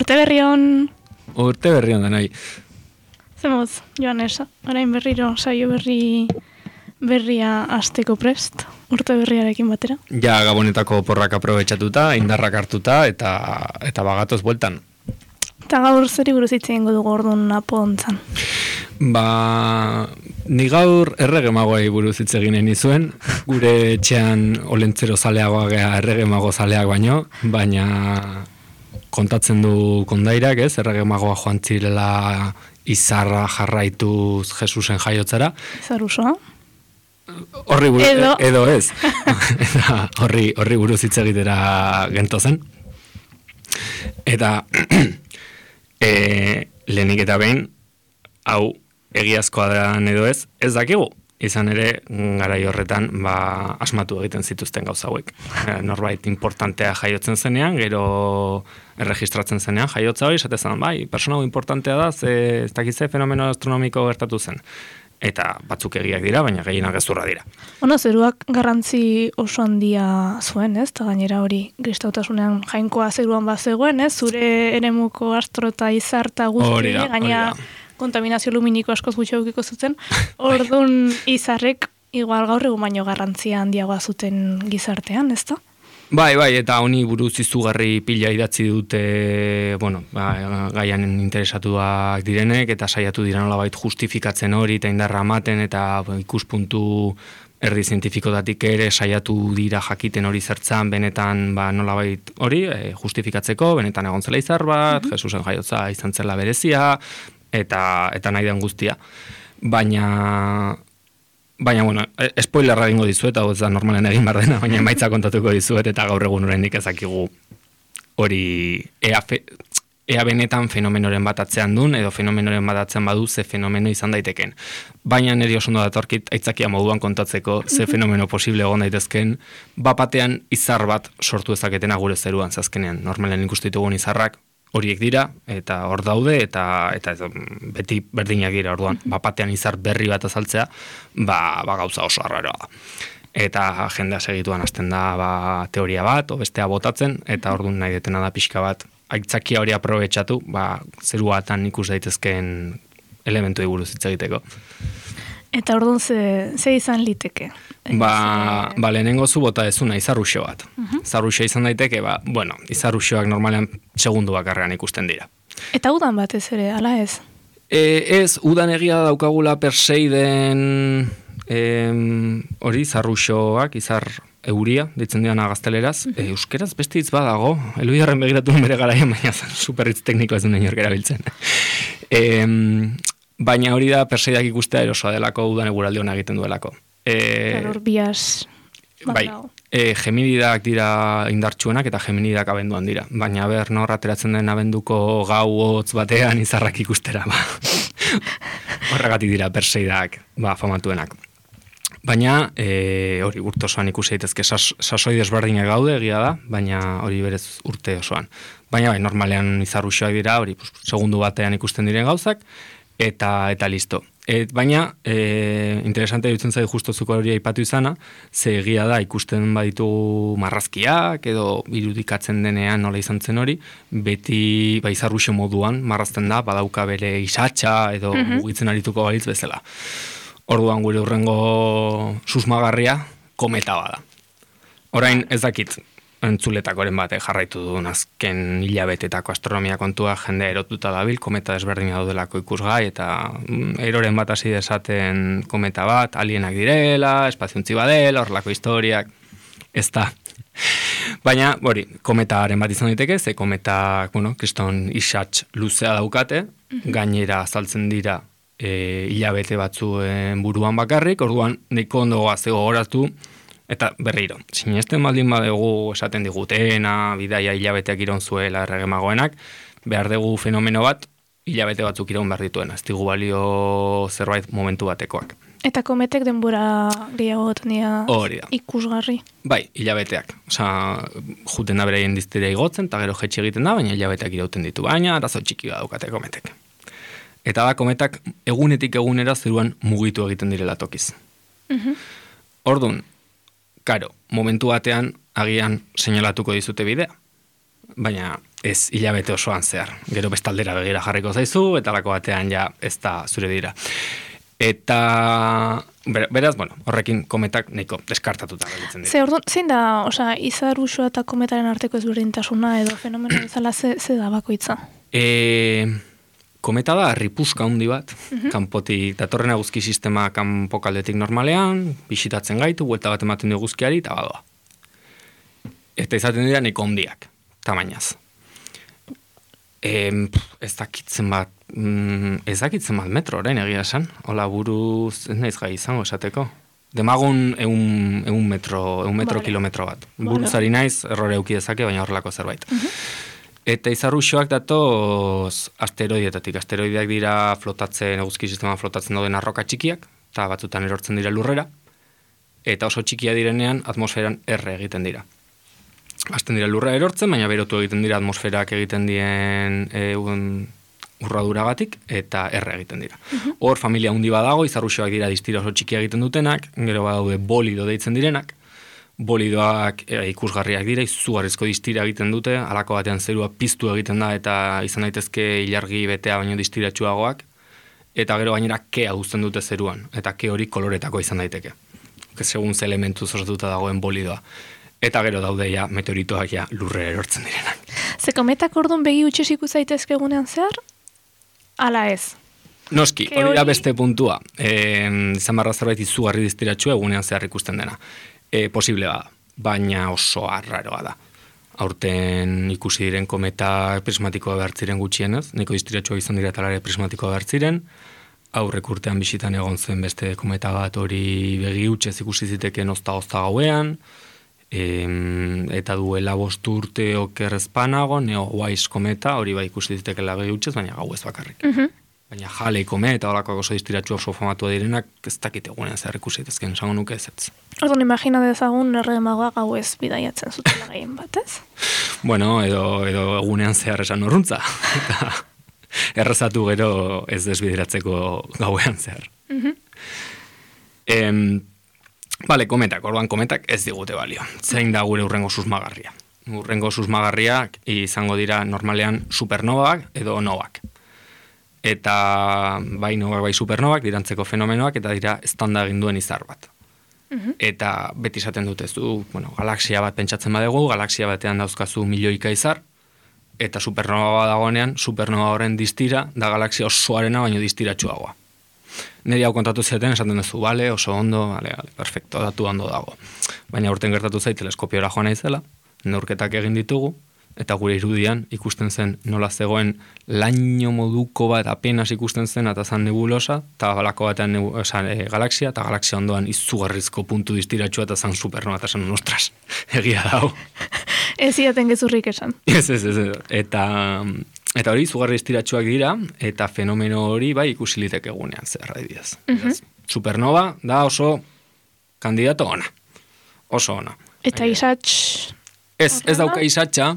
Urte berri on. Urte berri on da nahi. Zemoz, Joanes, orain berriro saio berria hasteko prest, urte berriarekin batera. Ja, Gabonetako porrak aprobetxatuta, indarrak hartuta eta bagatoz bueltan. Eta gaur zeri buruz hitz egingo dugu orduan apontzan. Ni gaur errege magoei buruz hitz egin nizuen, gure etxean olentzero zaleagoa gea errege mago zaleak baina kontatzen du kondairak, ez? Errege magoa joan zirela izarra jarraituz Jesusen jaiotzara. Izar osoa? Horri edo ez. Eta horri buruz hitz egitera gentozen. Eta lehenik eta behin, hau egiazkoa da edo ez dakigu. Izan ere, garai horretan, asmatu egiten zituzten gauza hauek. Norbait importantea jaiotzen zenean, gero erregistratzen zenean, jaiotza hori, esatezan, persona importantea da, ez dakize fenomeno astronomiko gertatu zen. Eta batzuk egiak dira, baina gehienak gezurra dira. Zeruak garrantzi oso handia zuen, ez? Eta gainera hori kristautasunean jainkoa zeruan bazegoen, ez? Zure eremuko astro eta izar eta guzti, gaina kontaminazio luminiko askoz gutxi aukiko zuten. Orduan izarrek igual gaur egun baino garrantzia handiagoa zuten gizartean, ez da? Bai, eta honi buruz izugarri pila idatzi dute, gaian interesatuak direnek, eta saiatu dira nolabait justifikatzen hori, eta indarra ematen, eta ikuspuntu erdi zientifikotatik ere saiatu dira jakiten hori zertzan, benetan nolabait hori justifikatzeko, benetan egon zela izar bat, Jesusen jaiotza izan zela berezia, eta nahi den guztia. Baina, spoilerra egingo dizuet, hau ez da normalen egin behar dena, baina emaitza kontatuko dizuet, eta gaur egun oraindik ezakigu hori ea benetan fenomenoren bat atzean duen, edo fenomenoren bat atzean badu ze fenomeno izan daiteken. Baina niri oso ondo datorkit aitzakia moduan kontatzeko ze fenomeno posible egon daitezken, bapatean izar bat sortu ezaketena gure zeruan zazkenean. Normalen ikusten ditugun izarrak horiek dira, eta hor daude, eta beti berdinak dira orduan. Bapatean izar berri bat azaltzea, gauza oso arraroa da. Eta jendea segituan hasten da teoria bat, o bestea botatzen, eta orduan nahi detena da pixka bat, aitzakia hori aprobetxatu, zeruatan ikus daitezkeen elementu buruz hitz egiteko. Eta orduan ze izan liteke? Lehenengo zu bota ezuna izarruxo bat. Izarruxo izan daiteke, izarruxoak normalean segundu bakarrean ikusten dira. Eta udan batez ere, ala ez? Ez, udan egia daukagula perseiden hori izarruxoak, izar euria, ditzen diana gazteleraz. Euskeraz beste hitz badago, Elbidarren begiratu bere garaian, baina superhitz teknikoa ez duen inork erabiltzen. Baina hori da perseidak ikustea erosoa delako udan eguraldi hona egiten duelako. Bias. Geminidak dira indartsuenak eta geminidak abenduan dira. Baina nor ateratzen den abenduko gau hotz batean izarrak ikustera. Horregatik dira perseidak famatuenak. Baina hori urte osoan ikusi daitezke sasoi desberdinak gaude egia da, baina hori berez urte osoan. Baina normalean izarruxoak dira, hori segundu batean ikusten diren gauzak, eta listo. Baina, interesante dutzen zait justozuko hori aipatu izana, ze egia da ikusten baditu marrazkiak, edo irudikatzen denean nola izan zen hori, beti izarruxo moduan marrazten da, badauka bere isatxa, edo mugitzen arituko balitz bezala. Orduan gure hurrengo susmagarria kometa bada. Orain ez dakit entzuletakoren bate jarraitu duen azken hilabetetako astronomia kontua jende erotuta dabil, kometa desberdina daudelako ikusgai, eta eroren bat hasi desaten kometa bat, alienak direla, espaziontzi badela, horrelako historiak, ez da. Baina, kometaren bat izan daiteke, ze kometak, kriston isatx luzea daukate, gainera azaltzen dira hilabete batzuen buruan bakarrik, orduan nahiko ondo gaztego goraztu, eta berriro, sinesten baldin badegu esaten digutena, bidaia hilabeteak iraun zuela erregemagoenak, behar dugu fenomeno bat, hilabete batzuk iraun behar dituena, ez digu balio zerbait momentu batekoak. Eta kometek denbora gehiago gotendia ikusgarri? Bai, hilabeteak. Juten da bereien diztira igotzen, eta gero jetxe egiten da, baina hilabeteak irauten ditu, baina arazo txiki daukate kometek. Eta da kometak egunetik egunera zeruan mugitu egiten direla tokiz. Orduan, karo, momentu batean agian seinalatuko dizute bidea. Baina ez hilabete osoan zehar. Gero bestaldera begira jarriko zaizu, eta lako batean ja ez da zure dira. Eta, beraz, horrekin kometak nahiko deskartatuta gelditzen dira. Zein da, izar usua eta kometaren arteko ezberdintasuna edo fenomeno bezala ze da bakoitza? Kometa da ripuska handi bat, kanpotik datorren eguzki sistema kanpokaldetik normalean, bisitatzen gaitu, buelta bat ematen du eguzkiari, eta badoa. Eta izaten dira nahiko handiak, tamainaz. Ez dakitzen bat metro orain egia esan, hola buruz ez naiz gai izango esateko. Demagun 100 metro kilometro bat. Buruzari naiz, errore euki dezake, baina horrelako zerbait. Eta izarruxoak datoz asteroideetatik. Asteroideak dira eguzki sistema flotatzen dauden arroka txikiak, eta batzutan erortzen dira lurrera, eta oso txikia direnean atmosferan erre egiten dira. Azten dira lurra erortzen, baina berotu egiten dira atmosferak egiten dien urraduragatik, eta erre egiten dira. Hor, familia handi badago, izarruxoak dira distira oso txikia egiten dutenak, gero badaude bolido deitzen direnak, bolidoak ikusgarriak dira, izugarrizko distira egiten dute, halako batean zerua piztu egiten da, eta izan daitezke ilargi betea baino distiratsuagoak, eta gero gainera kea uzten dute zeruan, eta ke hori koloretako izan daiteke. Segun ze elementuz osatuta dagoen bolidoa. Eta gero daude meteoritoak lurrera erortzen direnak. Ze kometak orduan begi utxez ikusaitezke egunean zehar? Ala ez? Noski, hori da beste puntua. Izan barra zerbait izugarri distiratxua egunean zehar ikusten dena. Posible bada, baina oso arraroa da. Aurten ikusi diren kometa prismatikoa behartziren gutxienez, nahiko distiratxua izan dira talare prismatikoa behartziren, aurrek urtean bisitan egon zen beste kometa bat hori begi utxez ikusi ziteken ozta gauean, eta duela 5 urte okerrezpanago, Neowise kometa, hori bai ikusi zitekela begi utxez, baina gau ez bakarrik. Baina Halley kometa, horako oso distiratxua oso famatua direnak, ez dakit egunean zer ikusi zitezken, esango nuke ez. Orduan, imagina dezagun erremagoa gau ez bidaiatzen zutela gehien bat, ez? Bueno, edo egunean zehar esan horruntza. Eta errezatu gero ez desbideratzeko gauean zehar. Kometak, orduan kometak ez digute balio. Zein da gure urrengo susmagarria? Urrengo susmagarriak izango dira normalean supernovak edo novak. Eta bai novak, bai supernovak, dirantzeko fenomenoak, eta dira eztanda egin duen izar bat. Eta beti esaten dut ez du, galaxia bat pentsatzen badegu, galaxia batean dauzkazu milioika izar, eta supernova dagoenean, supernova horren distira, da galaxia osoarena baino distiratsuagoa. Neri hau kontatu zaten, esaten duzu, bale, oso ondo, bale, perfecto, datu ondo dago. Baina urten gertatu zait, teleskopiora joan naizela, neurketak egin ditugu, eta gure irudian ikusten zen nola zegoen laino moduko bat apenas ikusten zen, eta zan nebulosa, eta balako batean galaxia, eta galaxia ondoan izugarrizko puntu distiratsua, eta zan supernova, eta zan ostras, egia dago. Ez iaten gezurrik esan. Ez. Eta hori izugarri distiratsuak dira, eta fenomeno hori bai ikusilitek egunean, zer adibidez. Supernova da oso kandidato ona. Oso ona. Eta isatx... Ez dauka isatxa,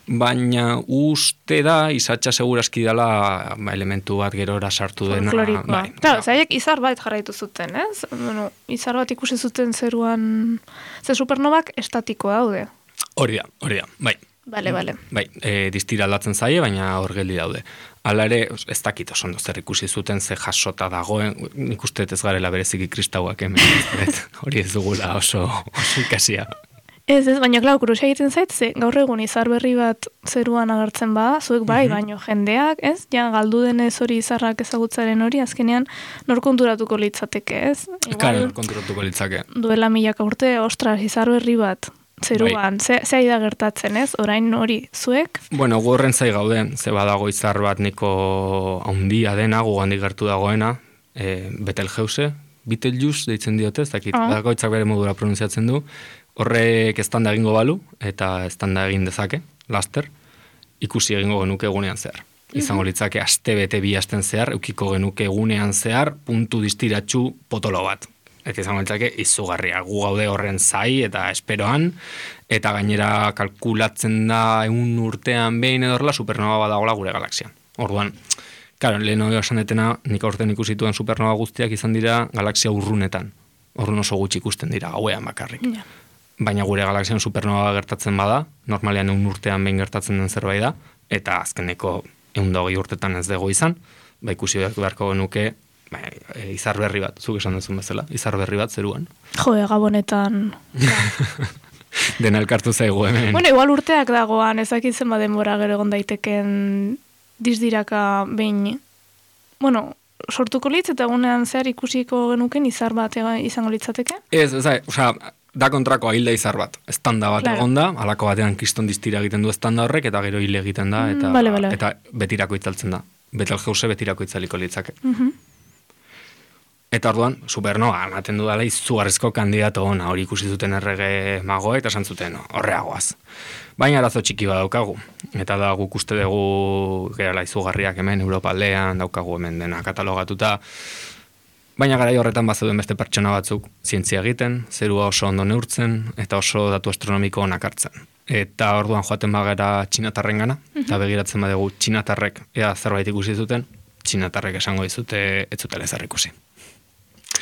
baina uste da isatxa seguraski dela elementu bat gerora sartu dena. Folklorikoa. Claro, zaiek izar bat jarraitu zuten, ez? Bueno, izar bat ikusi zuten zeruan... Ze supernovak estatikoa daude. Hori da, bai. Bale. Bai, distira aldatzen zaie, baina hor geldi daude. Hala ere, ez dakit oso ondo zer ikusi zuten, ze jasota dagoen, nik uste ez garela bereziki kristauak hemen, hori ez dugula oso ikasia. Ez, baina klar, kurusia egiten zait, ze gaur egun izar berri bat zeruan agertzen bada, zuek bai, baino jendeak, ez? Ja, galdu denez hori izarrak ezagutzaren hori, azkenean nor konturatuko litzateke, ez? Nor konturatuko litzake. Duela 1000 urte, ostras, izar berri bat zeruan, bai. Ze da gertatzen, ez? Orain hori zuek? Bueno, gorren zai gaude, ze badago izar bat niko handia dena, gugandik gertu dagoena, Betelgeuse, Betelgeuse deitzen diote, ez dakit, bakoitzak bere modura pronunziatzen du, horrek eztanda egingo balu, eta eztanda egin dezake, laster, ikusi egingo genuke egunean zehar. Izango litzake aste bete 2 asten zehar, eukiko genuke egunean zehar, puntu distiratsu potolo bat. Eta izango litzake izugarria, gu gaude horren zai eta esperoan, eta gainera kalkulatzen da 1 urtean behin edorla supernova badagola gure galaxian. Orduan, claro, lehen hori esan detena, nik aurten ikusituen supernova guztiak izan dira galaxia urrunetan. Orduan oso gutxi ikusten dira, gauean bakarrik. baina gure galaxian supernova gertatzen bada, normalean 1 urtean behin gertatzen den zerbait da, eta azkeneko 120 urtetan ez dago izan, ikusi beharko genuke, izar berri bat, zuk esan duzun bezala, izar berri bat zeruan. Jo, gabonetan... Dena elkartu zaigu hemen. Bueno, igual urteak dagoan, ezakitzen denbora gero egon daiteken dizdiraka behin, bueno, sortuko litz eta egunean zehar ikusiko genuken izar bat izango litzateke? Ez, da kontrako hilda izar bat. Estanda bat egon da, alako batean kriston distira egiten du estanda horrek, eta gero hile egiten da, eta betirako itzaltzen da. Betelgeuse betirako itzaliko litzake. Eta orduan, supernova, ematen du dala izugarrizko kandidato ona, hori ikusi zuten errege magoa, eta esan zuten horreagoaz. Baina arazo txiki bat daukagu. Eta da guk uste dugu gerala izugarriak hemen, Europa aldean, daukagu hemen dena katalogatuta. Baina garai horretan bazeuden beste pertsona batzuk zientzia egiten, zerua oso ondo neurtzen, eta oso datu astronomiko onak hartzen. Eta orduan joaten bagera txinatarren gana, eta begiratzen badugu txinatarrek ea zerbait ikusi zuten, txinatarrek esango dizute ez zutela ezer ikusi.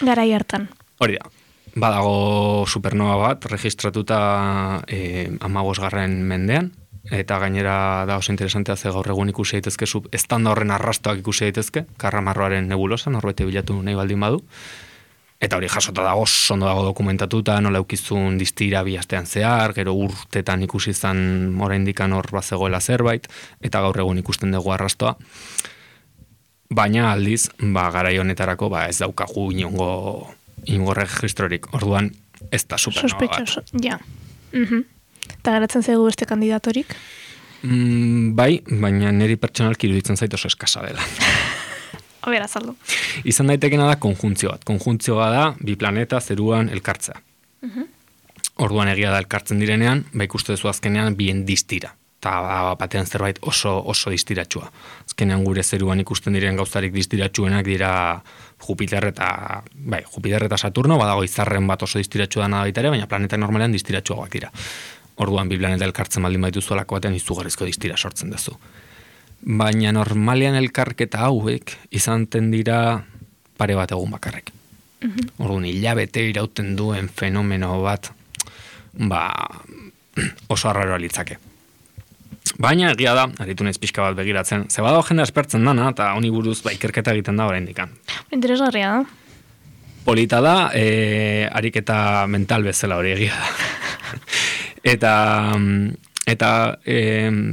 Garai hartan. Hori da. Badago supernova bat, registratuta 15. mendean, eta gainera da oso interesantea ze gaur egun ikusi daitezke estanda horren arrastoak ikusi daitezke, Karramarroaren nebulosa, norbete bilatu nahi baldin badu. Eta hori jasota dago, ondo dago dokumentatuta, nola eukizun distira bi astean zehar, gero urtetan ikusi izan oraindikan hor bazegoela zerbait, eta gaur egun ikusten dugu arrastoa. Baina aldiz, garai honetarako ez daukagu inongo registrorik. Orduan, ez da supernova bat. Sospechoso, ja. Eta garatzen zaigu beste kandidatorik? Bai, baina niri pertsonalki iruditzen zait oso eskasa dela. A ber, azaldu. Izan daitekena da konjuntzio bat. Konjuntzioa da bi planeta zeruan elkartzea. Orduan egia da elkartzen direnean, ikuste duzu azkenean bien distira. Eta batean zerbait oso distiratsua. Azkenean gure zeruan ikusten diren gauzarik distiratsuenak dira Jupiter eta Saturno, badago izarren bat oso distiratsua dana baita ere, baina planeta normalean distiratsuagoak dira. Orduan bi planeta elkartzen baldin baitu zuelako batean izugarrizko distira sortzen duzu. Baina normalean elkarketa hauek izanten dira pare bat egun bakarrek. Orduan hilabete irauten duen fenomeno bat oso arraroa litzake. Baina egia da, aritu naiz pixka bat begiratzen, ze badago jende aspertzen dana, eta honi buruz ikerketa egiten da oraindikan. Interesgarria da. Polita da, ariketa mental bezala hori egia da. Eta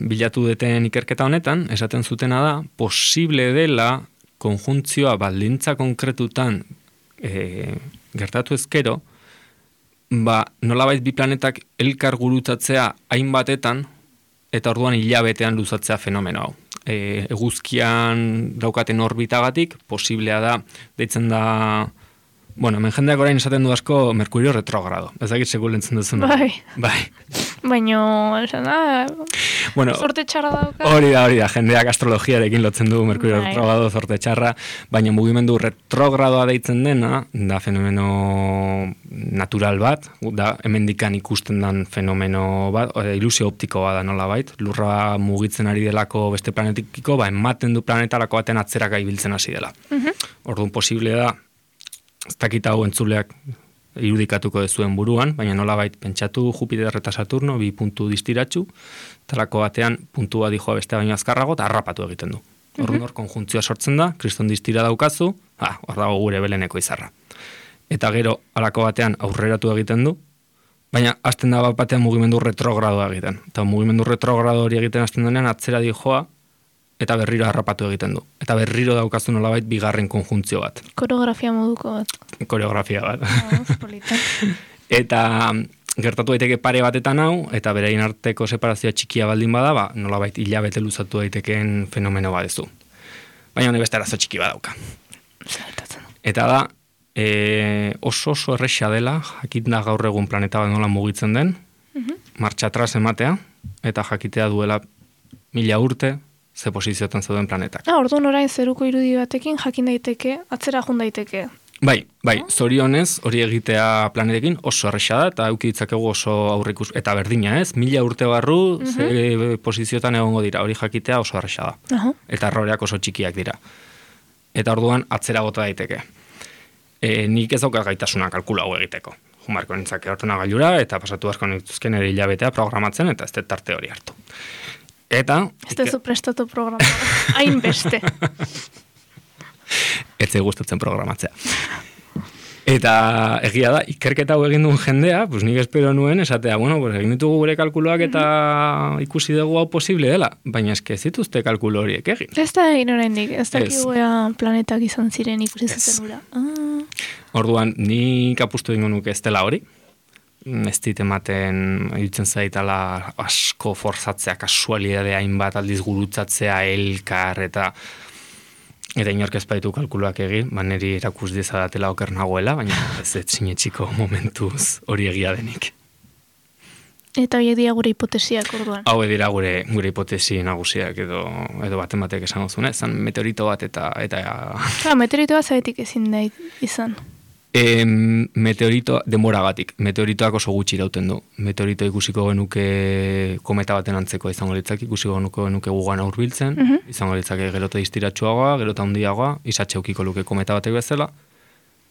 bilatu duten ikerketa honetan, esaten zutena da, posible dela konjuntzioa baldintza konkretutan gertatu ezkero, nolabait bi planetak elkar gurutzatzea hainbatetan, eta orduan hilabetean luzatzea fenomeno hau. Eguzkian daukaten orbitagatik, posiblea da, deitzen da, hemen jendeak orain esaten du asko Merkurio retrogrado. Ez dakit segur lentzen duzun. Bai. Baina, esan da, zorte txarra dauka. Hori da, jendeak astrologiarekin lotzen du Merkurio retrogrado, zorte txarra, baina mugimendu retrogradoa deitzen dena, da fenomeno natural bat, da hemendikan ikusten den fenomeno bat, ilusio optikoa da nola bait, lurra mugitzen ari delako beste planetikiko, ematen du planetarako baten atzeraka ibiltzen hasi dela. Orduan posible da, ez dakit hau entzuleak irudikatuko dezuen buruan, baina nolabait pentsatu Jupiter eta Saturno, bi puntu distiratsu, talako batean puntua dijoa beste baino azkarrago, eta harrapatu egiten du. Orduan hor konjuntzioa sortzen da, kriston distira daukazu, hor dago gure beleneko izarra. Eta gero, alako batean aurreratu egiten du, baina hasten da batean mugimendu retrogradoa egiten. Eta mugimendu retrogrado hori egiten hasten denean, atzera dijoa, eta berriro harrapatu egiten du. Eta berriro daukazu nolabait bigarren konjuntzio bat. Koreografia moduko bat. Koreografia bat. Eta gertatu daiteke pare batetan hau, eta berein arteko separazioa txikia baldin bada, nolabait hilabete luzatu daitekeen fenomeno badezu. Baina honi beste arazo txiki badauka. Eta da, oso erresa dela, jakit da gaur egun planeta bat nola mugitzen den, martxa atras ematea, eta jakitea duela 1000 urte, ze posiziotan zauden planetak. Orduan orain zeruko irudi batekin jakin daiteke, atzera jun daiteke. Bai, zorionez hori egitea planetekin oso erresa da, eta euki ditzakegu oso aurrikus, eta berdina ez, 1000 urte barru, ze posiziotan egongo dira, hori jakitea oso erresa da. Eta erroreak oso txikiak dira. Eta orduan atzera bota daiteke. Nik ez daukat gaitasuna kalkula hau egiteko. Jumarko nintzake ordenagailura, eta pasatu asko nintuzken ere hilabetea programatzen, eta ez dut tarte hori hartu. Eta... Ez dezu prestatu programa, hainbeste. Ez zei gustatzen programatzea. Eta egia da, ikerketa hau egin duen jendea, pues nik espero nuen, esatea, bueno, pues egin ditugu gure kalkuloak eta ikusi dugu hau posible dela, baina eske ez dituzte kalkulo horiek egin. Ez da egin oraindik, ez dakigu planetak izan ziren ikusi zuten ura. Orduan, nik apustu dingo nuke ez dela hori, ez dit ematen, irutzen zaitala asko forzatzea, kasualidade hainbat aldiz gurutzatzea, elkar, eta inork ez baitu kalkuloak egin, niri erakus dezadatela oker nagoela, baina ez sinetxiko momentuz hori egia denik. Eta horiek dira gure hipotesiak orduan? Hau dira gure hipotesi nagusiak edo baten batek esan duzune, zan meteorito bat eta... meteorito bat zabetik ezin da izan? Meteorito demoragatik. Meteoritoak oso gutxi irauten du. Meteorito ikusiko genuke kometa baten antzeko izango litzak, ikusiko genuke gugan aurbiltzen, izango litzake gerote distiratsuagoa, gerota handiagoa, izatxe ukiko luke kometa batek bezala,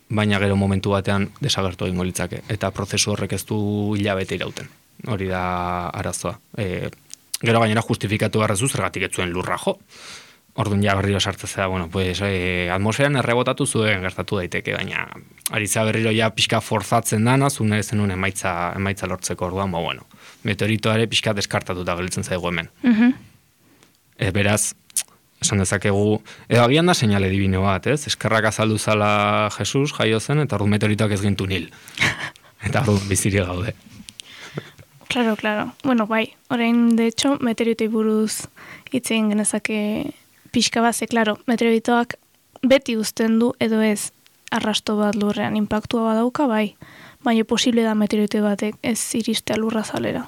baina gero momentu batean desagertu egingo litzake. Eta prozesu horrek ez du hilabete irauten. Hori da arazoa. Gero gainera justifikatu garrazu zergatik ez zuen lurra jo. Orduan ja berriro sartzea, bueno, pues atmosferan errebotatu zuen gertatu daiteke, baina aritza berriro ja pixka forzatzen dana, zune zenun emaitza lortzeko orduan, bueno, meteoritoare pixka deskartatuta gelditzen zaigu hemen. Beraz, esan dezakegu, edo agian da seinale divino bat, ez? Eskerrak azaldu zala Jesus, jaio zen, eta orduan meteoritoak ez gintu nil. Eta orduan biziri gaude. Claro. Bueno, bai, orain, de hecho, meteoritoi buruz hitzein genezake pixka bat, claro, meteoritoak beti uzten du edo ez arrasto bat lurrean inpaktua badauka, bai, baina posible da meteorito batek ez iristea lurra zalera.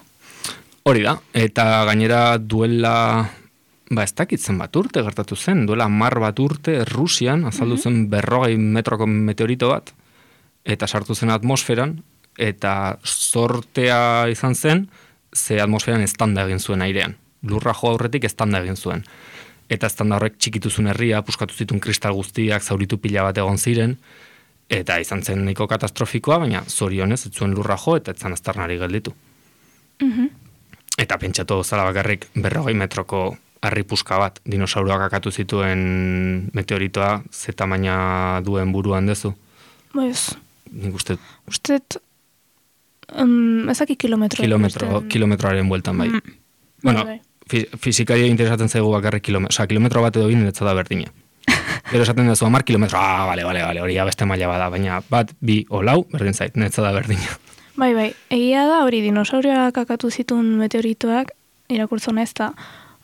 Hori da, eta gainera duela, ez dakitzen bat urte gertatu zen, duela 10 bat urte Rusian azaldu zen 40 metroko meteorito bat, eta sartu zen atmosferan, eta sortea izan zen, ze atmosferan eztanda egin zuen airean. Lurra jo aurretik eztanda egin zuen. Eta eztanda horrek txikituzun herria, puskatu zituen kristal guztiak, zauritu pila bat egon ziren, eta izan zen nahiko katastrofikoa, baina zorionez, ez zuen lurra jo, eta etzan aztarnari gelditu. Eta pentsatu zala bakarrik 40 metroko harri puska bat, dinosauroak akatu zituen meteoritoa, ze tamaina duen buruan dezu? Ez. Nik uste... ezaki kilometro. Kilometroaren bueltan bai. Bueno, fizikaria interesatzen zaigu bakarrik kilometro bat edo egin netza da berdina. Gero esaten dezu 10 kilometro, bale, hori beste maila bada, baina bat, bi, olau, berdin zait, netza da berdina. Bai, egia da hori dinosaurioak akatu zituen meteoritoak, irakurtzen ez da,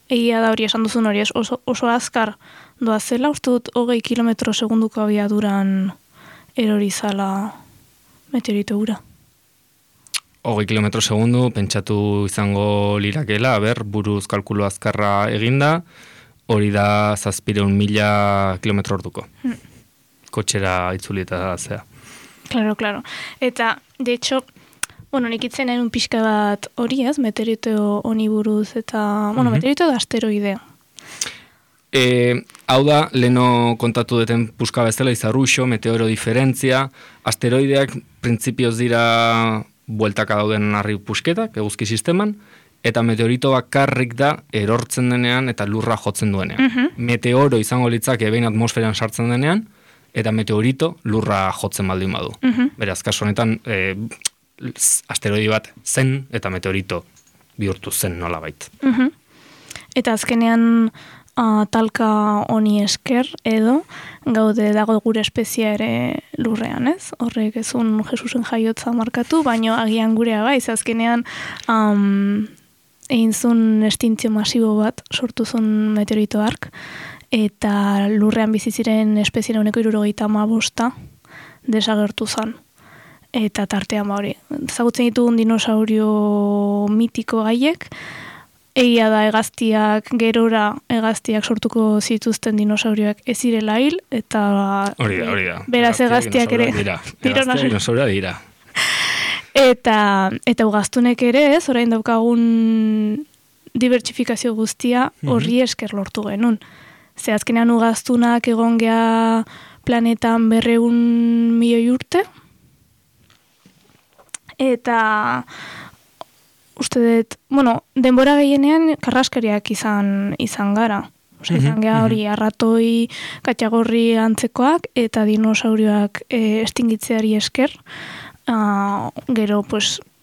egia da hori esan duzun hori oso azkar doazela, uste dut 20 kilometro segunduko abiaduran erori zala meteorito ura. 20 kilometro segundu, pentsatu izango lirakela, buruz kalkulo azkarra eginda, hori da 700.000 kilometro orduko. Kotxera itzuli eta zea. Claro. Eta, de hecho, bueno, nik itzen nahi un pixka bat hori ez, meteorito honi buruz, eta, bueno, meteorito da asteroidea. Hau da, leno kontatu deten puska bezala, izarruxo, meteoro diferentzia, asteroideak printzipioz dira bueltaka dauden harri pusketak, eguzki sisteman, eta meteorito bakarrik da erortzen denean eta lurra jotzen duenean. Meteoro izango litzake behin atmosferan sartzen denean, eta meteorito lurra jotzen baldin badu. Beraz, kasu honetan, asteroidi bat zen eta meteorito bihurtu zen nolabait. Eta azkenean talka honi esker edo gaude dago gure espezia ere lurrean, ez? Horrek ezun Jesusen jaiotza markatu, baino agian gurea bai, azkenean egin zuen estintzio masibo bat sortu zuen meteorito hark, eta lurrean bizi ziren espeziera honeko 75 desagertu zen. Eta tartean hori, ezagutzen ditugun dinosaurio mitiko haiek, egia da hegaztiak sortuko zituzten dinosaurioak ez zirela hil, eta hori da. Beraz hegaztiak ere dinosauria dira. Eta ugaztunek ere ez, orain daukagun dibertsifikazio guztia horri esker lortu genuen. Ze azkenean ugaztunak egon gea planetan 200 milioi urte, eta uste dut, denbora gehienean karraskariak izan gara. Izan geha hori arratoi, katxagorri antzekoak eta dinosaurioak estingitzeari esker. Gero,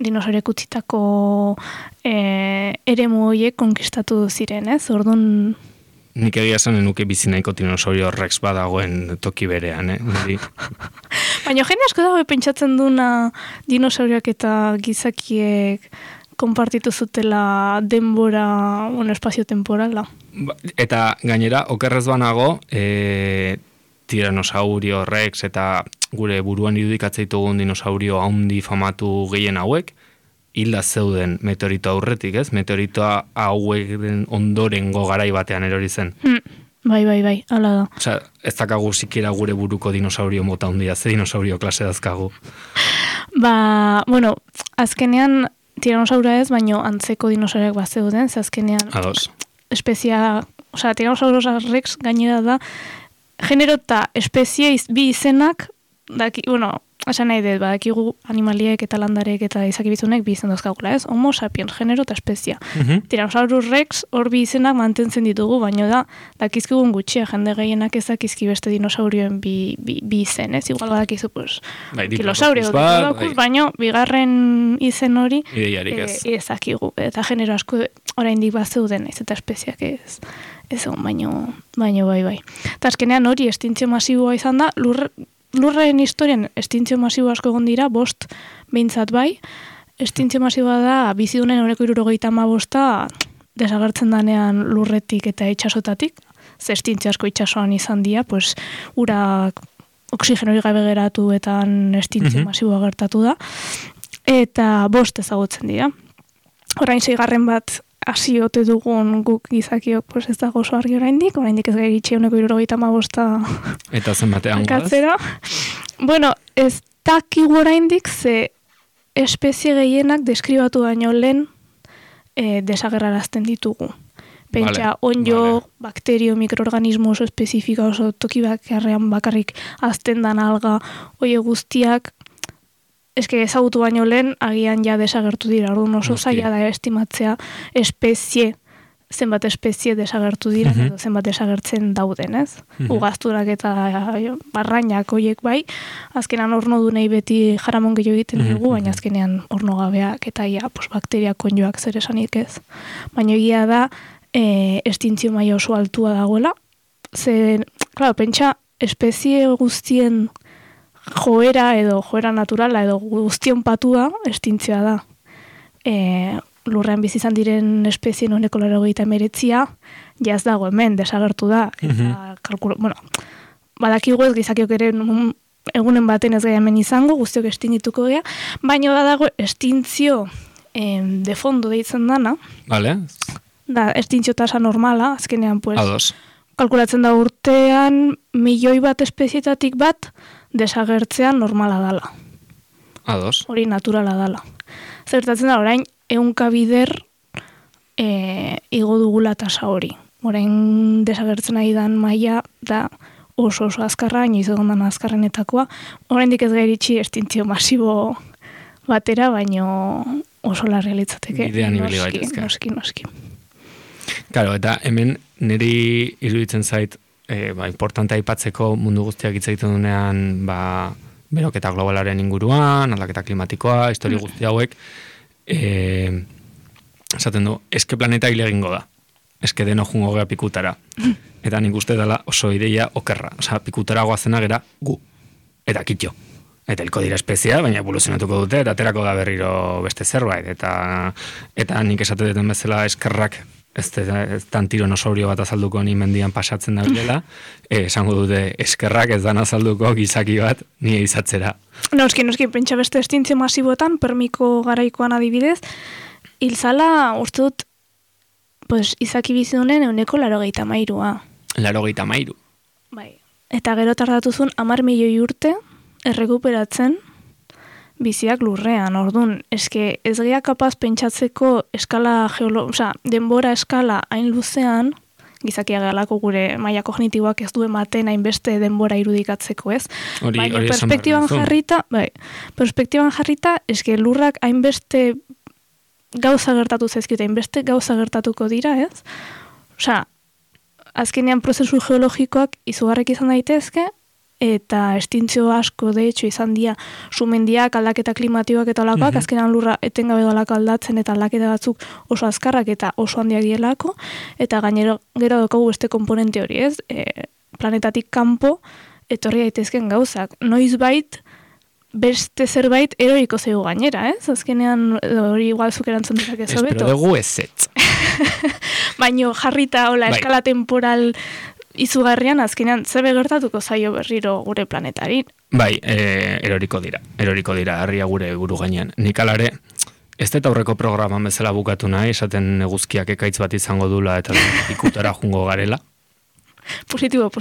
dinosauriak utzitako eremu horiek konkistatu ziren, ez? Orduan... Nik egia zanen nuke bizinaiko dinosaurio Rex badagoen toki berean, Baina jende asko dago pentsatzen duna dinosauriak eta gizakiek konpartitu zutela denbora, espazio-temporala. Eta gainera, okerrez banago, tiranosaurio Rex eta gure buruan irudikatzea dinosaurio haundi famatu gehien hauek, hilda zeuden meteorito aurretik, ez? Meteoritoa hauek ondorengo garai batean erori zen. Bai, hala da. Osea, ez dakagu sikiera gure buruko dinosaurio mota handia, ze dinosaurio klase dazkagu. Azkenean tiranosaura ez, baino antzeko dinosauriak bat zeuden, ze azkenean... Ados. Tiranosaurus Rex gainera da, genero eta espezie bi izenak, esan nahi dut, badakigu animaliek eta landarek eta izakibizunek bi izen dauzkagula, ez? Homo sapiens, genero eta espezia. Tyrannosaurus Rex hor bi izenak mantentzen ditugu, baino dakizkigun gutxia, jende gehienak ez dakizki beste dinosaurioen bi izen, ez? Igual badakizu, kilosaurio, baino bigarren izen hori ezakigu. Eta genero asko oraindik bat zeuden, ez eta espeziak ez baino bai. Eta azkenean hori estintzio masiboa izan da, Lurraren historian estintzio masibo asko egon dira, 5 behintzat bai. Estintzio masiboa da, bizidunen 175 desagertzen danean lurretik eta itxasotatik. Ze estintzio asko itxasoan izan dira, urak oksigenori gabe geratu eta estintzio masiboa gertatu da. Eta 5 ezagutzen dira. Orain 6. bat hasi ote dugun guk gizakiok ez dago oso argi oraindik ez gai gitxe 175 eta zenbatean katzera. Ez dakigu oraindik ze espezie gehienak deskribatu baino lehen desagerrarazten ditugu. Pentsa, onjo, bakterio, mikroorganismo oso espezifika, oso toki bakarrean bakarrik azten dan alga, oie guztiak, ezagutu baino lehen, agian ja desagertu dira, orduan oso zaila da estimatzea zenbat espezie desagertu dira, edo zenbat desagertzen dauden, ez? Ugazturak eta barrainak hoiek bai, azkenean ornodunei beti jaramon gehiago egiten dugu, baina azkenean ornogabeak eta bakteriak onjoak zer esanik ez. Baina egia da, estintzio maila oso altua dagoela, pentsa, espezie guztien joera naturala edo guztion patua estintzioa da. Lurrean bizi izan diren espezien 189 jaz dago hemen desagertu da. Badakigu ez gizakiok ere egunen baten ez gai hemen izango, guztiok estingituko gea, baina dago estintzio de fondo deitzen dana. Vale. Da, estintzio tasa normala, azkenean kalkulatzen da urtean 1.000.000 espezietatik bat desagertzean normala dala. Ados. Hori naturala dala. Zertatzen da, orain, 100 bider igo dugula tasa hori. Orain desagertzen ari dan maila da oso azkarra, inoiz egon dan azkarrenetakoa. Oraindik ez gairitxi estintzio masibo batera, baino oso larria litzateke. Bidean ibili gaitezke. Noski. Claro, eta hemen niri iruditzen zait, importante aipatzeko mundu guztiak hitz egiten dunean, beroketa globalaren inguruan, aldaketa klimatikoa, historia guzti hauek, esaten du, eske planeta hile egingo da. Eske deno jungo gea pikutara. Eta nik uste dela oso ideia okerra. Osa, pikutara goazena gera gu. Eta kitxo. Eta hilko dira espezia, baina evoluzionatuko dute, eta aterako da berriro beste zerbait. Eta nik esate duten bezala eskerrak, ez dan tiranosaurio bat azalduko ni mendian pasatzen da bilela, esango dute eskerrak ez dan azalduko gizaki bat nire izatzera. Noski, pentsa beste estintzio masiboetan, permiko garaikoan adibidez, hilzala, uste dut, izaki bizidunen 183. 83? Bai. Eta gero tardatuzun 10.000.000 urte errekuperatzen biziak lurrean. Orduan, eske ez gea kapaz pentsatzeko eskala denbora eskala hain luzean, gizakia galako gure maila kognitiboak ez du ematen hainbeste denbora irudikatzeko, ez? Baina perspektiban jarrita, eske lurrak hainbeste gauza gertatu zaizkite, hainbeste gauza gertatuko dira, ez? Osea, azkenean prozesu geologikoak izugarrek izan daitezke, eta estintzio asko, de hecho, izan dira sumendiak, aldaketa klimatikoak eta olakoak, azkenean lurra etengabe dolako aldatzen eta aldaketa batzuk oso azkarrak eta oso handiak dielako, eta gainero gero daukagu beste komponente hori, ez? Planetatik kanpo etorri daitezken gauzak. Noizbait beste zerbait eroriko zego gainera, ez? Azkenean hori igual zuk erantzun dezakezu hobeto. Espero dugu ezetz. Baino jarrita hola eskala temporal izugarrian azkenean zebe gertatuko zaio berriro gure planetari. Bai, eroriko dira, herria gure buru gainean. Nik alare, ez dut aurreko programan bezala bukatu nahi, esaten eguzkiak ekaitz bat izango dula eta ikutara jungo garela. Positibo.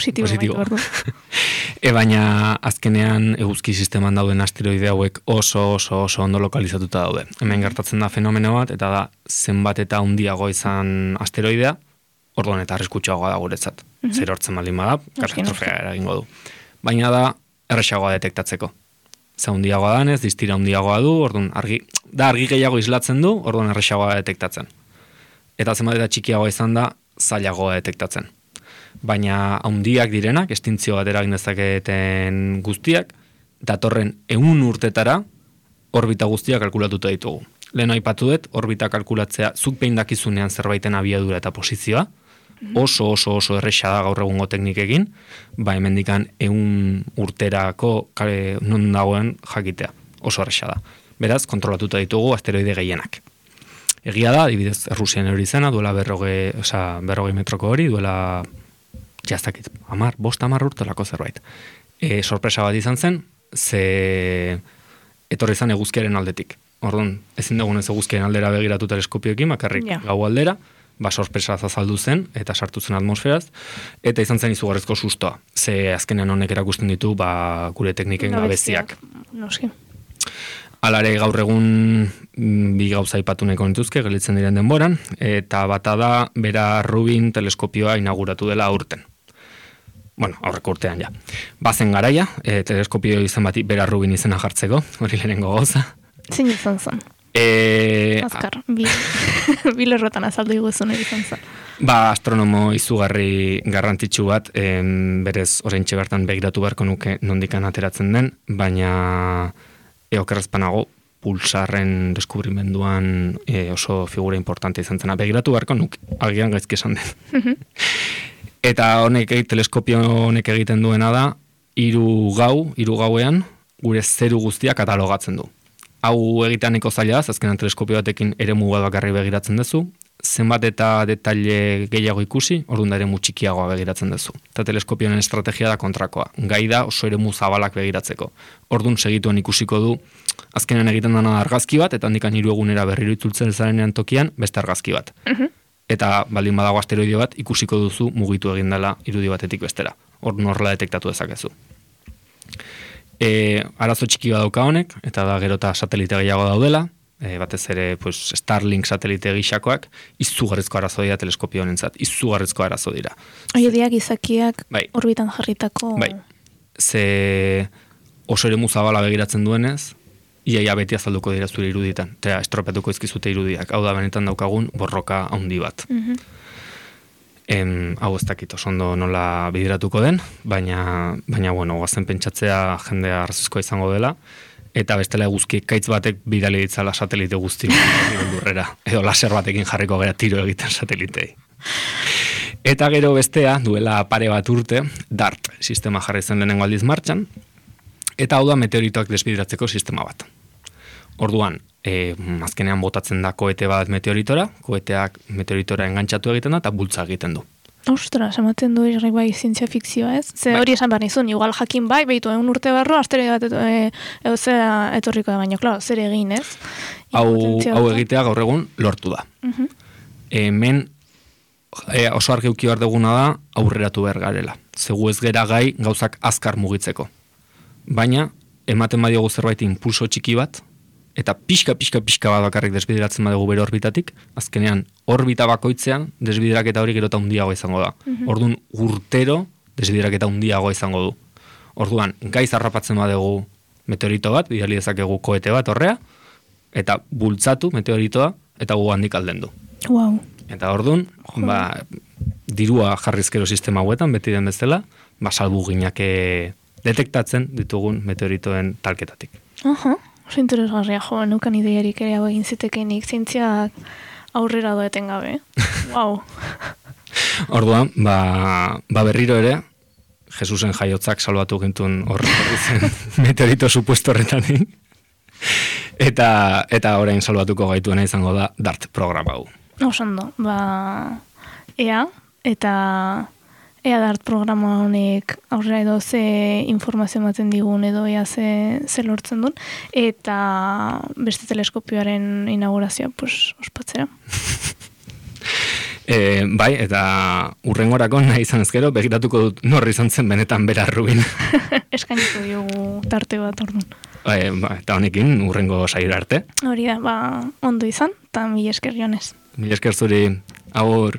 Baina azkenean eguzki sisteman dauden asteroide hauek oso ondo lokalizatuta daude. Hemen gertatzen da fenomeno bat, eta da zenbat eta handiago izan asteroidea, orduan eta arriskutsuagoa da guretzat. Zer hortzen baldin bada, katastrofea eragingo du. Baina da erresagoa detektatzeko. Ze handiagoa danez, distira handiagoa du, orduan argi gehiago islatzen du, orduan erresagoa detektatzen. Eta zenbat eta txikiagoa izan da, zailagoa detektatzen. Baina handiak direnak, estintzio bat eragin dezaketen guztiak, datorren 100 urtetara orbita guztiak kalkulatuta ditugu. Lehen aipatu dut, orbita kalkulatzea zuk behin dakizunean zerbaiten abiadura eta posizioa, oso erresa da gaur egungo teknikekin, hemendikan 100 urterako non dagoen jakitea, oso erresa da. Beraz, kontrolatuta ditugu asteroide gehienak. Egia da, adibidez, Errusian hori izena, duela 40 metroko hori, duela jaztakit, 5-10 urtelako zerbait. Sorpresa bat izan zen, ze etorri izan eguzkiaren aldetik. Orduan, ezin dugunez eguzkiaren aldera begiratu teleskopioekin, bakarrik gau aldera, sorpresa azaldu zen, eta sartu zen atmosferaz, eta izan zen izugarrezko sustoa. Ze azkenean honek erakusten ditu, gure tekniken gabeziak. Alare gaur egun bi gauza aipatu nahiko nituzke, gelitzen diren denboran, eta bata da, Vera Rubin teleskopioa inauguratu dela aurten. Bueno, aurreko urtean ja. Bazen garaia, teleskopio izan bati Vera Rubin izena jartzeko, hori lehenengo gauza. Zein izan zen? Azkar, bilerrotan azaldu iguzun izan zen. Astronomo izugarri garrantzitsu bat, berez oraintxe bertan begiratu beharko nuke nondikan ateratzen den, baina okerrezpanago pulsarren deskubrimenduan oso figura importante izan zena. Begiratu beharko nuke, agian gaizki esan den. Eta teleskopio honek egiten duena da, 3 gauean gure zeru guztia katalogatzen du. Hau egiteaneko zaila da, azkenan teleskopio batekin eremu bat bakarri begiratzen duzu, zenbat eta detaile gehiago ikusi, orduan da eremu txikiagoa begiratzen duzu. Eta teleskopioen estrategia da kontrakoa. Gai da oso eremu zabalak begiratzeko. Orduan segituen ikusiko du, azkenan egiten dena argazki bat, eta handikan 3 egunera berriro itzultzen zarenean tokian, beste argazki bat. Eta baldin badago asteroide bat, ikusiko duzu mugitu egin dela irudi batetik bestera. Orduan horrela detektatu dezakezu. Arazo txiki bat dauka honek, eta da gero eta satelite gehiago daudela, batez ere Starlink satelite gixakoak, izugarrizko arazo dira teleskopio honentzat, izugarrizko arazo dira. Oiediak izakiak orbitan jarritako... Bai, ze oso eremu zabala begiratzen duenez, iaia beti azalduko dira zure iruditan, eta estropetuko izkizute irudiak, hau da benetan daukagun borroka handi bat. Hau ez dakit oso ondo nola bideratuko den, baina bueno, guazen pentsatzea jendea arrazoizkoa izango dela, eta bestela eguzki ekaitz batek bidali ditzala satelite guzti lurrera, edo laser batekin jarriko gara tiro egiten satelitei. Eta gero bestea, duela pare bat urte, DART sistema jarri zen lehenengo aldiz martxan, eta hau da meteoritoak desbideratzeko sistema bat. Orduan, azkenean botatzen da koete bat meteoritora, koeteak meteoritora engantzatu egiten da, eta bultza egiten du. Ostras, ematen du irri bai zientzia fikzioa, ez? Ze hori esan behar nizun, igual jakin bai, behitu 1 urte barro, asteroide bat zera etorriko da baino, klaro, zer egin, ez? Hau egitea gaur egun lortu da. Hemen oso argi uki behar duguna da aurreratu behar garela. Zegu ez gera gai gauzak azkar mugitzeko. Baina, ematen badiogu zerbait impulso txiki bat, eta pixka bat bakarrik desbideratzen badugu bere orbitatik, azkenean orbita bakoitzean desbideraketa hori gero eta handiagoa izango da. Orduan urtero desbideraketa handiagoa izango du. Orduan, gaiz harrapatzen badugu meteorito bat, bidali dezakegu koete bat horrea, eta bultzatu meteoritoa, eta gu handik aldendu. Wow. Eta orduan, dirua jarrizkero sistema hauetan, beti den bezala, salbu ginake detektatzen ditugun meteoritoen talketatik. Oso interesgarria, nukan ideiarik ere hau egin zitekenik, zientziak aurrera doeten gabe. Wow. Orduan, berriro ere, Jesusen jaiotzak salbatu gintuen horretzen meteorito supuesto horretanik. Eta orain salbatuko gaituena izango da DART programa hau. Osando, ea DART programa honek aurrera edo ze informazio ematen digun edo ea ze lortzen duen, eta beste teleskopioaren inaugurazioa ospatzera. Bai, eta urrengorako nahi izan ezkero, begiratuko dut norri izan zen benetan bera Rubin. Eskainiko diogu tarte bat orduan. Eta honekin urrengo saira arte. Hori da, ondo izan, eta mila esker Jones. Mila esker zuri, agur.